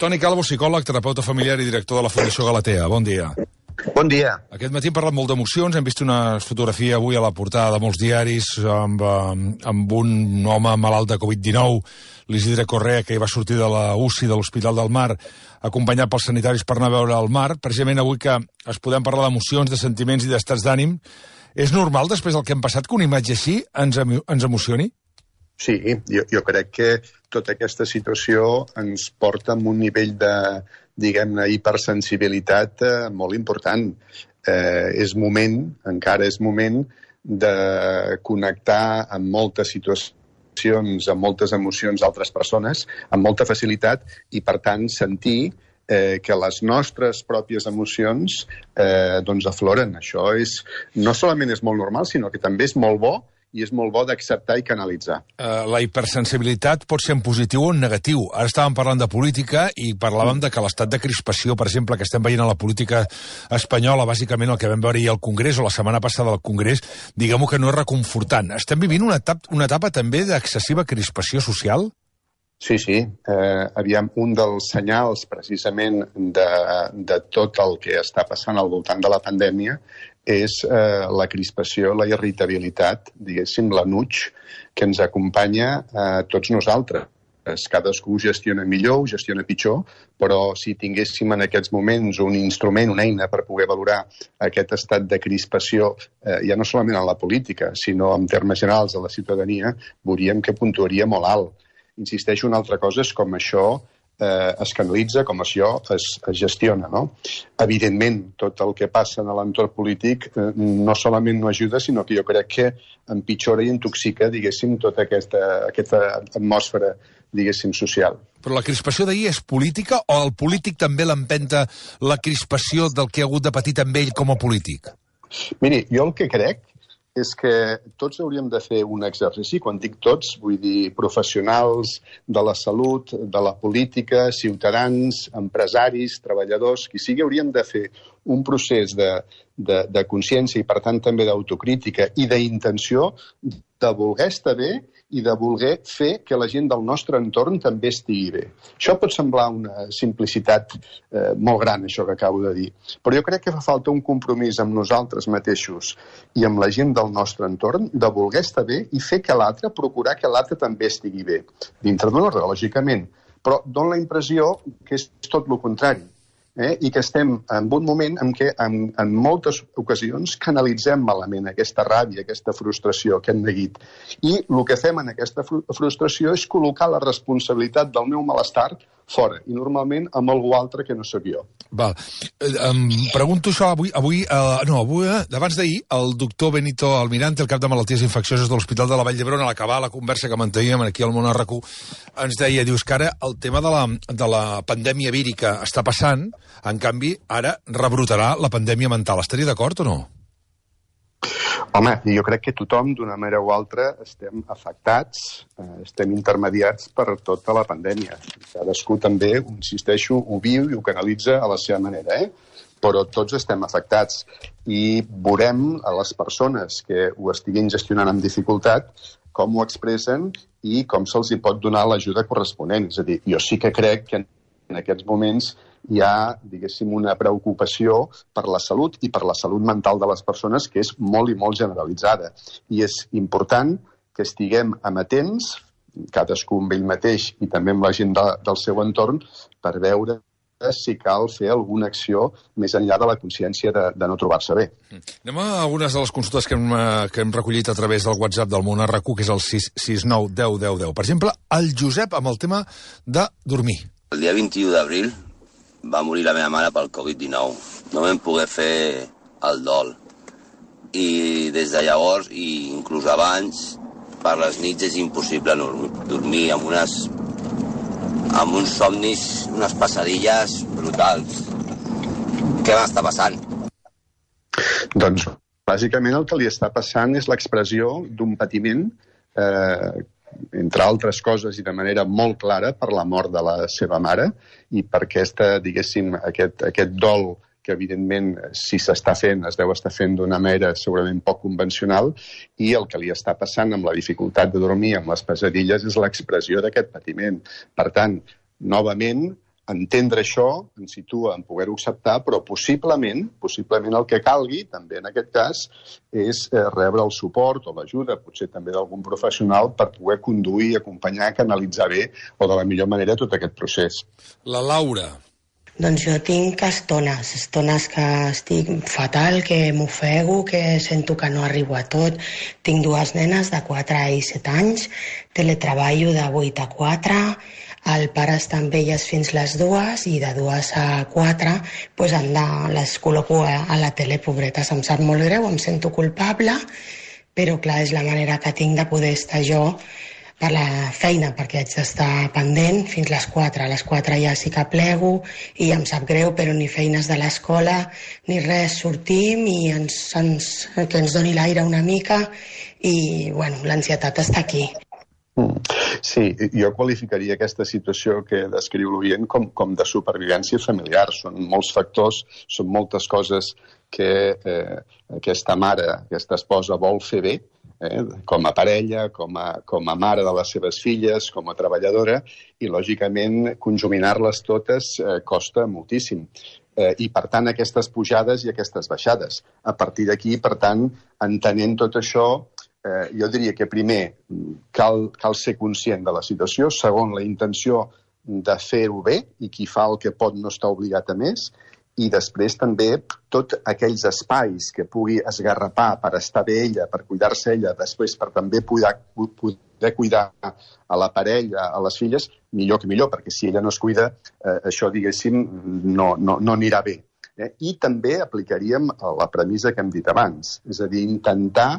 Toni Calvo, psicòleg, terapeuta familiar i director de la Fundació Galatea. Bon dia. Bon dia. Aquest matí hem parlat molt d'emocions, hem vist una fotografia avui a la portada de molts diaris amb un home malalt de Covid-19, l'Isidre Correa, que va sortir de la UCI de l'Hospital del Mar, acompanyat pels sanitaris per anar a veure el mar. Precisament avui que es podem parlar d'emocions, de sentiments i d'estats d'ànim, és normal, després del que hem passat, que una imatge així ens emocioni? Sí, jo crec que tota aquesta situació ens porta a un nivell de, diguem-ne, hipersensibilitat molt important. És moment, encara és moment, de connectar amb moltes situacions, amb moltes emocions d'altres persones, amb molta facilitat, i per tant sentir que les nostres pròpies emocions doncs afloren. Això no solament és molt normal, sinó que també és molt bo, i és molt bo d'acceptar i canalitzar. La hipersensibilitat pot ser en positiu o en negatiu. Ara estàvem parlant de política i parlàvem de que l'estat de crispació, per exemple, que estem veient a la política espanyola, bàsicament el que vam veure ahir al Congrés o la setmana passada al Congrés, diguem-ho que no és reconfortant. Estem vivint una etapa també d'excessiva crispació social? Sí. Aviam, un dels senyals, precisament, de tot el que està passant al voltant de la pandèmia és la crispació, la irritabilitat, diguéssim, l'anuig que ens acompanya a tots nosaltres. Cadascú gestiona millor, ho gestiona pitjor, però si tinguéssim en aquests moments un instrument, una eina per poder valorar aquest estat de crispació, ja no solament en la política, sinó en termes generals de la ciutadania, veuríem que puntuaria molt alt. Insisteixo, una altra cosa és com això es canalitza, com això es gestiona, no? Evidentment, tot el que passa en l'entorn polític no solament no ajuda, sinó que jo crec que empitjora i intoxica, diguéssim, tota aquesta atmosfera, diguéssim, social. Però la crispació d'ahir és política o el polític també l'empenta la crispació del que ha hagut de patir també ell com a polític? Miri, jo el que crec és que tots hauríem de fer un exercici, quan dic tots, vull dir professionals de la salut, de la política, ciutadans, empresaris, treballadors, qui sigui, hauríem de fer un procés de consciència i, per tant, també d'autocrítica i d'intenció de voler estar bé i de voler fer que la gent del nostre entorn també estigui bé. Això pot semblar una simplicitat molt gran, això que acabo de dir, però jo crec que fa falta un compromís amb nosaltres mateixos i amb la gent del nostre entorn de voler estar bé i fer que l'altre, procurar que l'altre també estigui bé. Dintre d'un ordre, lògicament, però dona la impressió que és tot el contrari. I que estem en un moment en què en moltes ocasions canalitzem malament aquesta ràbia, aquesta frustració, aquest neguit. I el que fem en aquesta frustració és col·locar la responsabilitat del meu malestar fora, i normalment amb algú altre que no sóc jo. Val. Em pregunto això avui, abans d'ahir, el doctor Benito Almirante, el cap de malalties infeccioses de l'Hospital de la Vall d'Hebron, a l'acabar la conversa que manteníem aquí al Món RQ, ens deia, dius que ara el tema de la pandèmia vírica està passant, en canvi, ara rebrotarà la pandèmia mental. Estaria d'acord o no? Home, jo crec que tothom, d'una manera o altra, estem afectats, estem intermediats per tota la pandèmia. Cadascú també, insisteixo, ho viu i ho canalitza a la seva manera, però tots estem afectats. I veurem a les persones que ho estiguin gestionant amb dificultat com ho expressen i com se'ls hi pot donar l'ajuda corresponent. És a dir, jo sí que crec que en aquests moments hi ha, diguéssim, una preocupació per la salut i per la salut mental de les persones que és molt i molt generalitzada. I és important que estiguem amatents, cadascú amb ell mateix i també amb la gent del seu entorn, per veure si cal fer alguna acció més enllà de la consciència de no trobar-se bé. Anem a algunes de les consultes que hem recollit a través del WhatsApp del Món RQ, que és el 669 10 10 10. Per exemple, el Josep amb el tema de dormir. El dia 21 d'abril va morir la meva mare pel Covid-19. No vam poder fer el dol. I des de llavors, i inclús abans, per les nits és impossible dormir amb uns somnis, unes pesadilles brutals. Què m'està passant? Doncs, bàsicament, el que li està passant és l'expressió d'un patiment entre altres coses i de manera molt clara per la mort de la seva mare i per diguéssim, aquest dol que evidentment si s'està fent, es deu estar fent d'una manera segurament poc convencional, i el que li està passant amb la dificultat de dormir, amb les pesadilles, és l'expressió d'aquest patiment. Per tant, novament, entendre això ens situa en poder-ho acceptar, però possiblement el que calgui, també en aquest cas, és rebre el suport o l'ajuda, potser també d'algun professional, per poder conduir, acompanyar, canalitzar bé o de la millor manera tot aquest procés. La Laura. Doncs jo tinc estones que estic fatal, que m'ofego, que sento que no arribo a tot. Tinc dues nenes de 4 i 7 anys, teletreballo de 8 a 4, el pare està amb elles fins les 2 i de 2 a 4 doncs les col·loco a la tele, pobretes. Em sap molt greu, em sento culpable, però clar, és la manera que tinc de poder estar jo per la feina, perquè haig d'estar pendent fins les 4. A les 4 ja sí que plego i em sap greu, però ni feines de l'escola ni res, sortim i que ens doni l'aire una mica i bueno, l'ansietat està aquí. Sí, jo qualificaria aquesta situació que descriu l'oient com de supervivència familiar. Són molts factors, són moltes coses que aquesta mare, aquesta esposa vol fer bé, com a parella, com a mare de les seves filles, com a treballadora, i lògicament conjuminar-les totes costa moltíssim. I per tant aquestes pujades i aquestes baixades. A partir d'aquí, per tant, entenent tot això, jo diria que primer cal ser conscient de la situació, segon, la intenció de fer-ho bé, i qui fa el que pot no està obligat a més, i després també tots aquells espais que pugui esgarrapar per estar bé ella, per cuidar-se ella, després per també poder cuidar a la parella, a les filles, millor que millor, perquè si ella no es cuida, això, diguéssim, no anirà bé. I també aplicaríem la premissa que hem dit abans, és a dir, intentar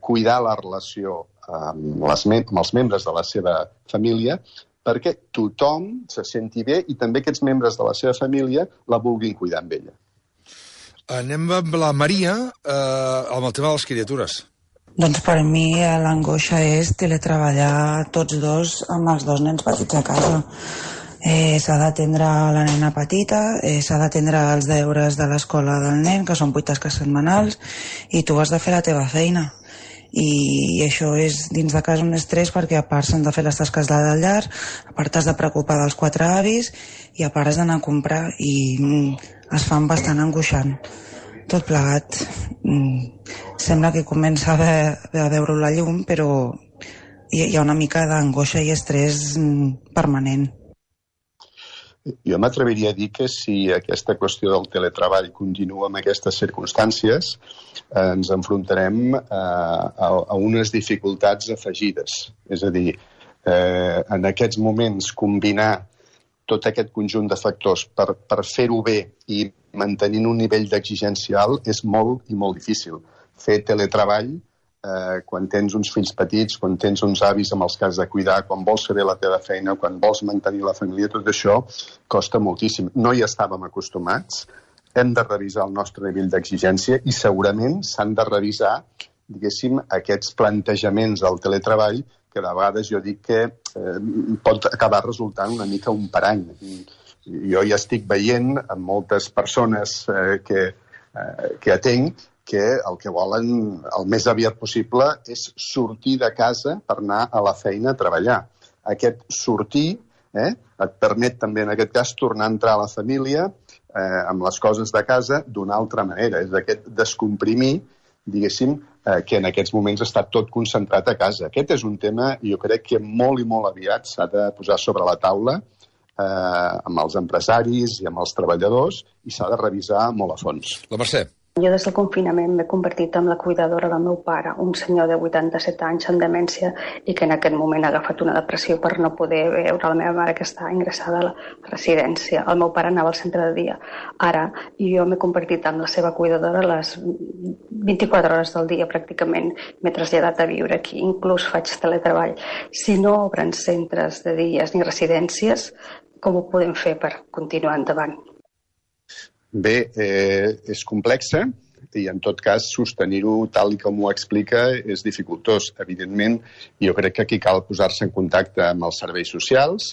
cuidar la relació amb els membres de la seva família perquè tothom se senti bé i també aquests membres de la seva família la vulguin cuidar amb ella. Anem amb la Maria amb el tema de les criatures. Doncs per mi l'angoixa és teletreballar tots dos amb els 2 nens petits a casa. S'ha d'atendre la nena petita, s'ha d'atendre els deures de l'escola del nen, que són 8 tasques setmanals, i tu has de fer la teva feina. I això és dins de casa un estrès perquè a part s'han de fer les tasques de llar, a part has de preocupar dels 4 avis i a part has d'anar a comprar i es fan bastant angoixant. Tot plegat sembla que comença a veure la llum, però hi ha una mica d'angoixa i estrès permanent. Jo m'atreviria a dir que si aquesta qüestió del teletreball continua en aquestes circumstàncies, ens enfrontarem a unes dificultats afegides. És a dir, en aquests moments combinar tot aquest conjunt de factors per fer-ho bé i mantenint un nivell d'exigència alt és molt i molt difícil. Fer teletreball quan tens uns fills petits, quan tens uns avis amb els que has de cuidar, quan vols fer bé la teva feina, quan vols mantenir la família, tot això costa moltíssim. No hi estàvem acostumats, hem de revisar el nostre nivell d'exigència i segurament s'han de revisar, diguéssim, aquests plantejaments del teletreball que de vegades jo dic que pot acabar resultant una mica un parany. Jo ja estic veient amb moltes persones que atenc que el que volen el més aviat possible és sortir de casa per anar a la feina a treballar. Aquest sortir et permet també, en aquest cas, tornar a entrar a la família amb les coses de casa d'una altra manera. És aquest descomprimir, diguéssim, que en aquests moments està tot concentrat a casa. Aquest és un tema, jo crec que molt i molt aviat s'ha de posar sobre la taula amb els empresaris i amb els treballadors i s'ha de revisar molt a fons. La Mercè. Jo des del confinament m'he convertit en la cuidadora del meu pare, un senyor de 87 anys amb demència i que en aquest moment ha agafat una depressió per no poder veure la meva mare que està ingressada a la residència. El meu pare anava al centre de dia. Ara jo m'he convertit en la seva cuidadora les 24 hores del dia pràcticament. M'he traslladat a viure aquí, inclús faig teletreball. Si no obren centres de dies ni residències, com ho podem fer per continuar endavant? Bé, és complexa i en tot cas sostenir-ho tal com ho explica és dificultós. Evidentment, jo crec que aquí cal posar-se en contacte amb els serveis socials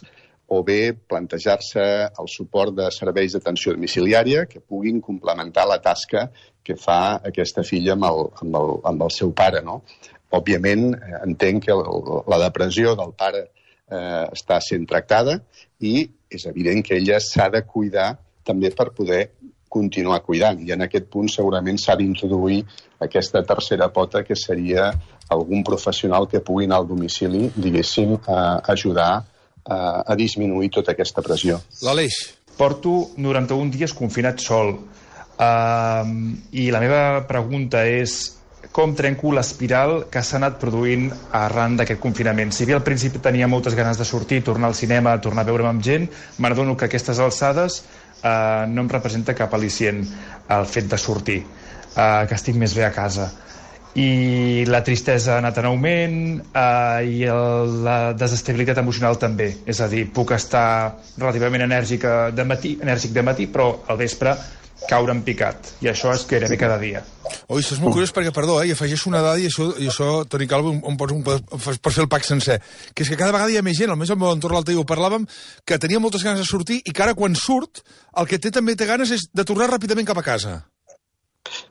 o bé plantejar-se el suport de serveis d'atenció domiciliària que puguin complementar la tasca que fa aquesta filla amb el seu pare, no? Òbviament, entenc que la depressió del pare està sent tractada i és evident que ella s'ha de cuidar també per poder continuar cuidant. I en aquest punt segurament s'ha d'introduir aquesta tercera pota, que seria algun professional que pugui anar al domicili, diguéssim, a ajudar a disminuir tota aquesta pressió. L'Aleix. Porto 91 dies confinat sol. I la meva pregunta és com trenco l'espiral que s'ha anat produint arran d'aquest confinament. Si bé al principi tenia moltes ganes de sortir, tornar al cinema, tornar a veure'm amb gent, m'adono que a aquestes alçades no em representa cap al·licient el fet de sortir, que estic més bé a casa. I la tristesa ha anat en augment i la desestabilitat emocional també. És a dir, puc estar relativament enèrgic de matí, però al vespre caure en picat. I això és gairebé cada dia. Oi, això és molt curiós perquè, perdó, hi afegeixo una dada i això Toni Calvo, pots fer el pack sencer, que és que cada vegada hi ha més gent, almenys al meu entorn l'altre dia ho parlàvem, que tenia moltes ganes de sortir i que ara quan surt el que també té ganes és de tornar ràpidament cap a casa.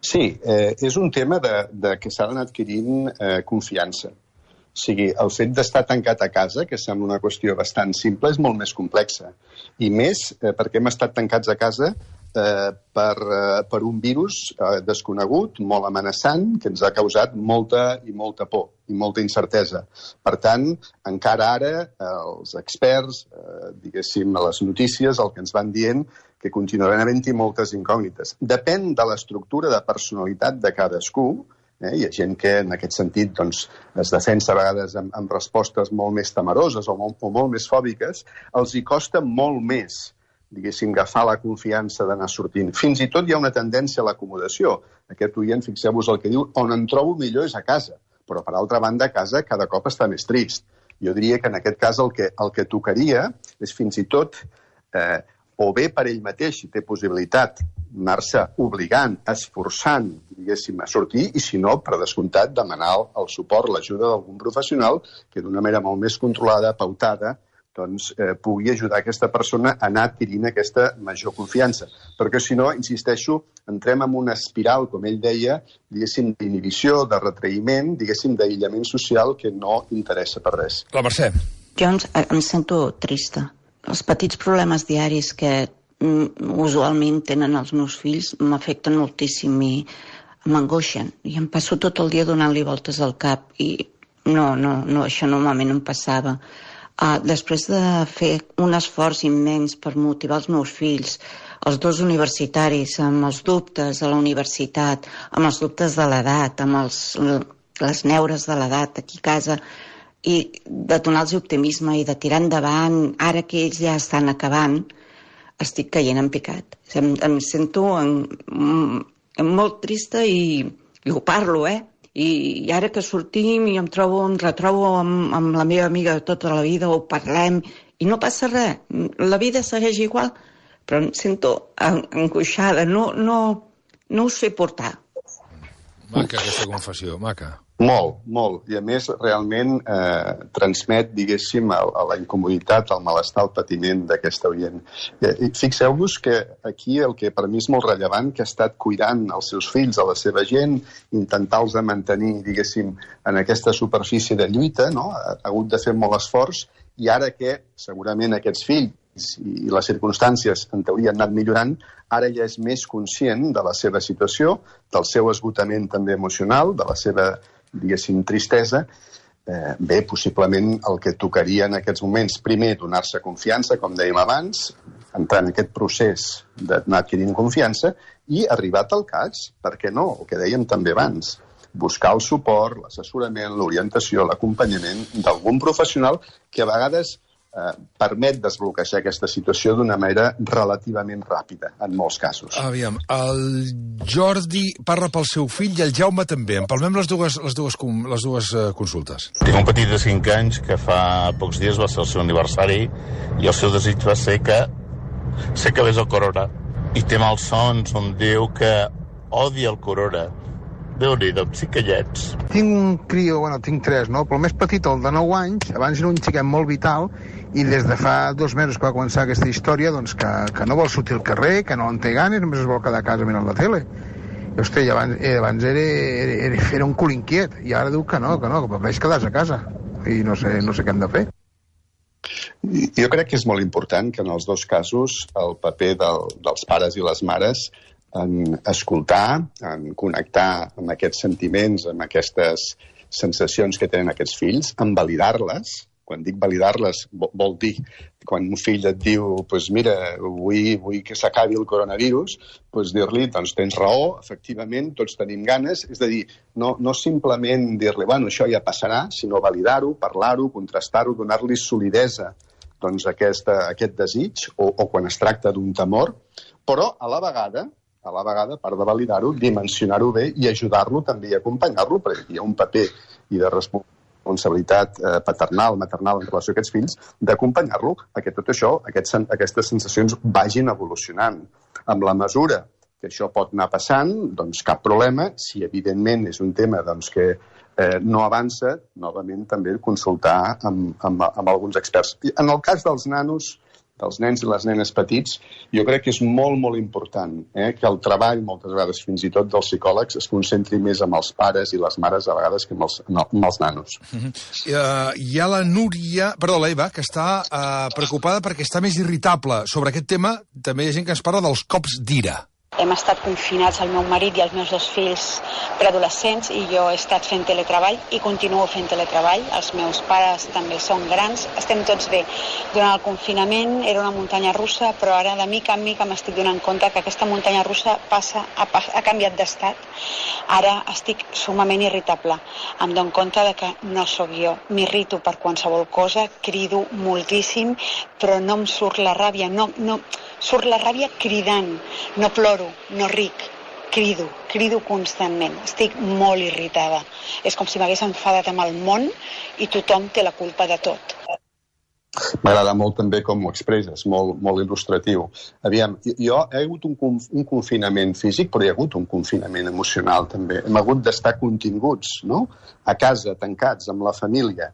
Sí, és un tema que s'ha d'anar adquirint confiança. O sigui, el fet d'estar tancat a casa, que sembla una qüestió bastant simple, és molt més complexa. I més perquè hem estat tancats a casa per un virus desconegut, molt amenaçant, que ens ha causat molta por i molta incertesa. Per tant, encara ara els experts, diguéssim, a les notícies, el que ens van dient que continuaran havent-hi moltes incògnites. Depèn de l'estructura de personalitat de cadascú. Hi ha gent que en aquest sentit doncs, es defensa a vegades amb respostes molt més temeroses o molt més fòbiques. Els hi costa molt més, diguéssim, agafar la confiança d'anar sortint. Fins i tot hi ha una tendència a l'acomodació. Aquest oient, fixeu-vos el que diu, on em trobo millor és a casa. Però, per altra banda, a casa cada cop està més trist. Jo diria que en aquest cas el que tocaria és fins i tot o bé per ell mateix, si té possibilitat, anar-se obligant, esforçant, diguéssim, a sortir, i si no, per descomptat, demanar el suport, l'ajuda d'algun professional que d'una manera molt més controlada, pautada, doncs pugui ajudar aquesta persona a anar adquirint aquesta major confiança. Perquè si no, insisteixo, entrem en una espiral, com ell deia, diguéssim, d'inhibició, de retraïment, diguéssim, d'aïllament social que no interessa per res. La Mercè. Jo em sento trista. Els petits problemes diaris que usualment tenen els meus fills m'afecten moltíssim i m'angoixen. I em passo tot el dia donant-li voltes al cap i no, això normalment no em passava. Després de fer un esforç immens per motivar els meus fills, els dos universitaris, amb els dubtes de la universitat, amb els dubtes de l'edat, amb les neures de l'edat aquí a casa, i de donar-los optimisme i de tirar endavant, ara que ells ja estan acabant, estic caient en picat. Em sento molt trista i ho parlo, I ara que sortim i em retrobo amb la meva amiga de tota la vida, ho parlem, i no passa res. La vida segueix igual, però em sento angoixada, no ho sé portar. Maca, aquesta confessió, maca. Molt. I a més, realment transmet, diguéssim, a la incomoditat, al malestar, al patiment d'aquesta oient. Fixeu-vos que aquí el que per mi és molt rellevant, que ha estat cuidant els seus fills, a la seva gent, intentar-los mantenir, diguéssim, en aquesta superfície de lluita, no? Ha hagut de fer molt esforç, i ara que segurament aquests fills i les circumstàncies en teoria han anat millorant, ara ja és més conscient de la seva situació, del seu esgotament també emocional, de la seva, diguéssim, tristesa. Bé, possiblement el que tocaria en aquests moments, primer, donar-se confiança, com dèiem abans, entrar en aquest procés d'anar adquirint confiança i, arribat al cas, per què no? El que dèiem també abans, buscar el suport, l'assessorament, l'orientació, l'acompanyament d'algun professional que a vegades permet desbloquejar aquesta situació d'una manera relativament ràpida, en molts casos. Aviam, el Jordi parla pel seu fill i el Jaume també. Empalmem les dues consultes. Tinc un petit de 5 anys que fa pocs dies va ser el seu aniversari i el seu desig va ser que s'acabés el corona. I té malsons on diu que odia el corona. Déu-n'hi-do, psicallets. Tinc un crio, tinc 3, no? Però el més petit, el de 9 anys, abans era un xiquet molt vital i des de fa 2 mesos que va començar aquesta història, doncs que no vol sortir al carrer, que no en té ganes, només es vol quedar a casa mirant la tele. I, hosti, abans era un cul inquiet i ara diu que no, que prefereix quedar-se a casa. I no sé què hem de fer. Jo crec que és molt important que en els dos casos el paper dels pares i les mares en escoltar, en connectar amb aquests sentiments, amb aquestes sensacions que tenen aquests fills, en validar-les. Quan dic validar-les, vol dir quan un fill et diu mira, vull que s'acabi el coronavirus, dir-li, doncs tens raó, efectivament, tots tenim ganes. És a dir, no simplement dir-li, això ja passarà, sinó validar-ho, parlar-ho, contrastar-ho, donar-li solidesa a aquest desig, o quan es tracta d'un temor, però a la vegada, a part de validar-ho, dimensionar-ho bé i ajudar-lo també i acompanyar-lo, perquè hi ha un paper i de responsabilitat paternal, maternal en relació a aquests fills, d'acompanyar-lo a que tot això, aquestes sensacions vagin evolucionant. Amb la mesura que això pot anar passant, doncs cap problema. Si evidentment és un tema que no avança, novament també consultar amb alguns experts. En el cas dels nanos, dels nens i les nenes petits, jo crec que és molt, molt important que el treball, moltes vegades fins i tot dels psicòlegs, es concentri més amb els pares i les mares, a vegades, que amb els nanos. Hi ha la Núria, l'Eva, que està preocupada perquè està més irritable. Sobre aquest tema també hi ha gent que ens parla dels cops d'ira. Hem estat confinats, el meu marit i els meus 2 fills preadolescents, i jo he estat fent teletreball i continuo fent teletreball. Els meus pares també són grans, estem tots bé. Durant el confinament era una muntanya russa, però ara de mica en mica m'estic donant compte que aquesta muntanya russa ha canviat d'estat. Ara estic sumament irritable. Em dono compte que no sóc jo. M'irrito per qualsevol cosa, crido moltíssim, però no em surt la ràbia. No surt la ràbia cridant. No ploro, no ric, crido constantment. Estic molt irritada. És com si m'hagués enfadat amb el món i tothom té la culpa de tot. M'agrada molt també com ho expresses, molt il·lustratiu. Aviam, jo he hagut un confinament físic, però hi ha hagut un confinament emocional també. Hem hagut d'estar continguts, no?, a casa, tancats, amb la família,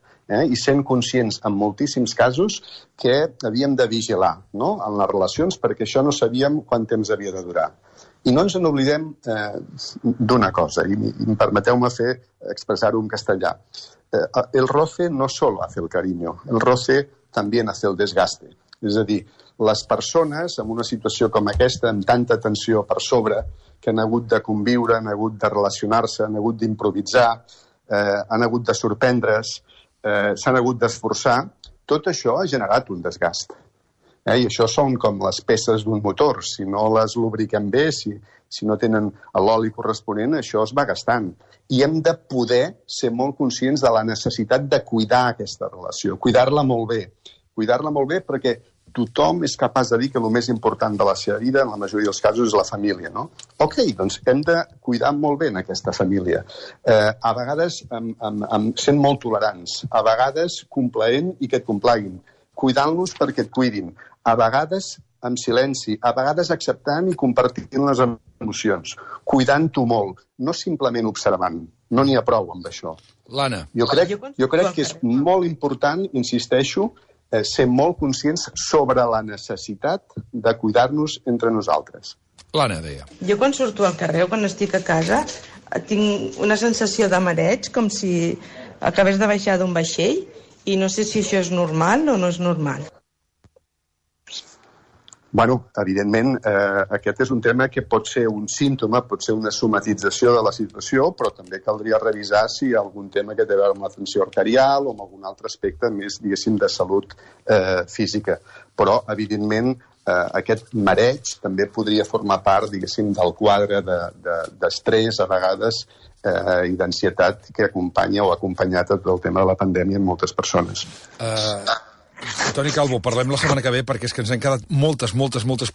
i sent conscients en moltíssims casos que havíem de vigilar, no?, en les relacions, perquè això no sabíem quant temps havia de durar. I no ens n'oblidem d'una cosa, i permeteu-me expressar-ho en castellà. El roce no solo hace el cariño, el roce també hace el desgaste. És a dir, les persones en una situació com aquesta, amb tanta tensió per sobre, que han hagut de conviure, han hagut de relacionar-se, han hagut d'improvisar, han hagut de sorprendre's, s'han hagut d'esforçar, tot això ha generat un desgast. I això són com les peces d'un motor. Si no les lubriquem bé, si no tenen l'oli corresponent, això es va gastant. I hem de poder ser molt conscients de la necessitat de cuidar aquesta relació, cuidar-la molt bé perquè tothom és capaç de dir que el més important de la seva vida, en la majoria dels casos, és la família, no? Ok, doncs hem de cuidar molt bé en aquesta família. A vegades sent molt tolerants, a vegades complaent i que et complaguin, cuidant-los perquè et cuidin, a vegades amb silenci, a vegades acceptant i compartint les emocions, cuidant-ho molt, no simplement observant. No n'hi ha prou amb això. L'Anna. Jo crec que és molt important, insisteixo, ser molt conscients sobre la necessitat de cuidar-nos entre nosaltres. L'Anna deia. Jo quan surto al carrer o quan estic a casa tinc una sensació de mareig, com si acabés de baixar d'un vaixell, i no sé si això és normal o no és normal. Bueno, evidentment, aquest és un tema que pot ser un símptoma, pot ser una somatització de la situació, però també caldria revisar si hi ha algun tema que té a veure amb la tensió arterial o amb algun altre aspecte més, diguéssim, de salut física. Però, evidentment, aquest mareig també podria formar part, diguéssim, del quadre d'estrès, a vegades, i d'ansietat que acompanya o ha acompanyat el tema de la pandèmia en moltes persones. Toni Calvo, parlem la setmana que ve perquè és que ens han quedat moltes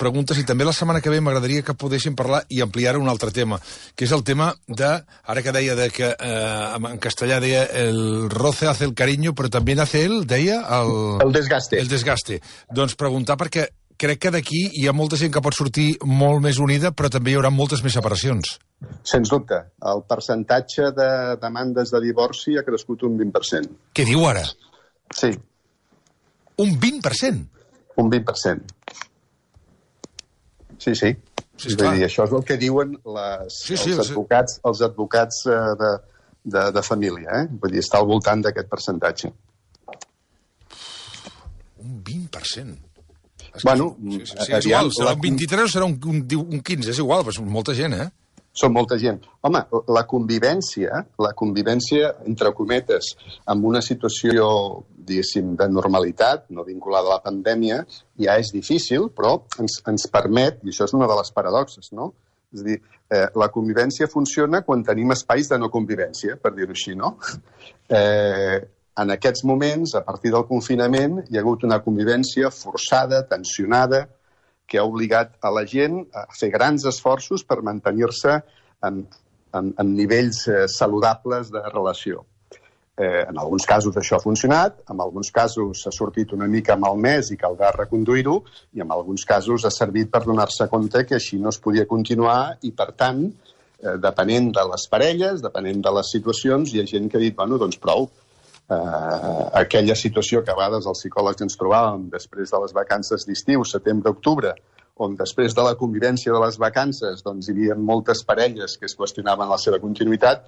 preguntes i també la setmana que ve m'agradaria que podéssim parlar i ampliar un altre tema, que és el tema de, ara que deia que en castellà deia el roce hace el cariño, però també hace deia el desgaste. El desgaste. Doncs preguntar perquè crec que d'aquí hi ha molta gent que pot sortir molt més unida, però també hi haurà moltes més separacions. Sens dubte. El percentatge de demandes de divorci ha crescut un 20%. Què diu ara? Sí. Un 20%? Un 20%. Sí. És a dir, això és el que diuen els advocats de família. Vull dir, està al voltant d'aquest percentatge. Un 20%. 20%. Bueno, és igual, serà un 23 o serà un 15, és igual, però és molta gent, Són molta gent. Home, la convivència, entre cometes, amb una situació, diguéssim, de normalitat, no vinculada a la pandèmia, ja és difícil, però ens permet, i això és una de les paradoxes, no? És a dir, la convivència funciona quan tenim espais de no convivència, per dir-ho així, no? En aquests moments, a partir del confinament, hi ha hagut una convivència forçada, tensionada, que ha obligat a la gent a fer grans esforços per mantenir-se en nivells saludables de relació. En alguns casos això ha funcionat, en alguns casos s'ha sortit una mica malmès i caldrà reconduir-ho, i en alguns casos ha servit per donar-se compte que així no es podia continuar i, per tant, depenent de les parelles, depenent de les situacions, hi ha gent que ha dit, bueno, doncs prou. Aquella situació que a vegades els psicòlegs ens trobàvem després de les vacances d'estiu, setembre-octubre, on després de la convivència de les vacances doncs, hi havia moltes parelles que es qüestionaven la seva continuïtat,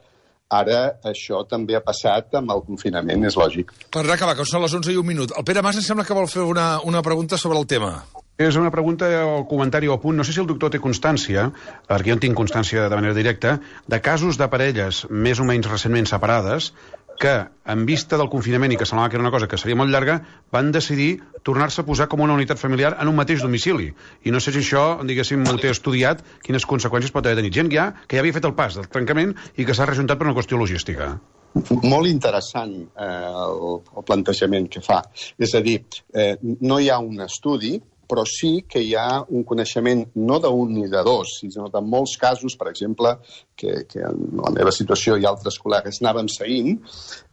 ara això també ha passat amb el confinament, és lògic. Per acabar, que són les 11:01. El Pere Mas em sembla que vol fer una pregunta sobre el tema. És una pregunta o comentari o punt. No sé si el doctor té constància, perquè jo en tinc constància de manera directa, de casos de parelles més o menys recentment separades que, en vista del confinament i que semblava que era una cosa que seria molt llarga, van decidir tornar-se a posar com una unitat familiar en un mateix domicili. I no sé si això, diguéssim, ho té estudiat, quines conseqüències pot haver tenit. Gent que ja havia fet el pas del trencament i que s'ha rejuntat per una qüestió logística. Molt interessant el plantejament que fa. És a dir, no hi ha un estudi, però sí que hi ha un coneixement no d'un ni de dos, sinó de molts casos, per exemple, que en la meva situació i altres col·legues anàvem seguint,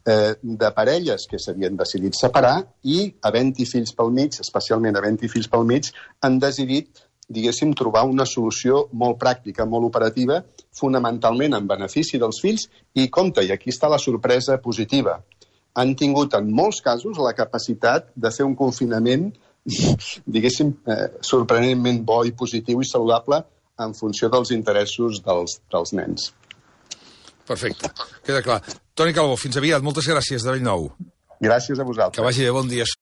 de parelles que s'havien decidit separar i, havent-hi fills pel mig, especialment havent-hi fills pel mig, han decidit, diguéssim, trobar una solució molt pràctica, molt operativa, fonamentalment en benefici dels fills, i compte, i aquí està la sorpresa positiva. Han tingut en molts casos la capacitat de fer un confinament diguéssim, sorprenentment bo i positiu i saludable en funció dels interessos dels nens. Perfecte, queda clar. Toni Calbó, fins aviat. Moltes gràcies de Bellnou. Gràcies a vosaltres. Que vagi bé, bon dia.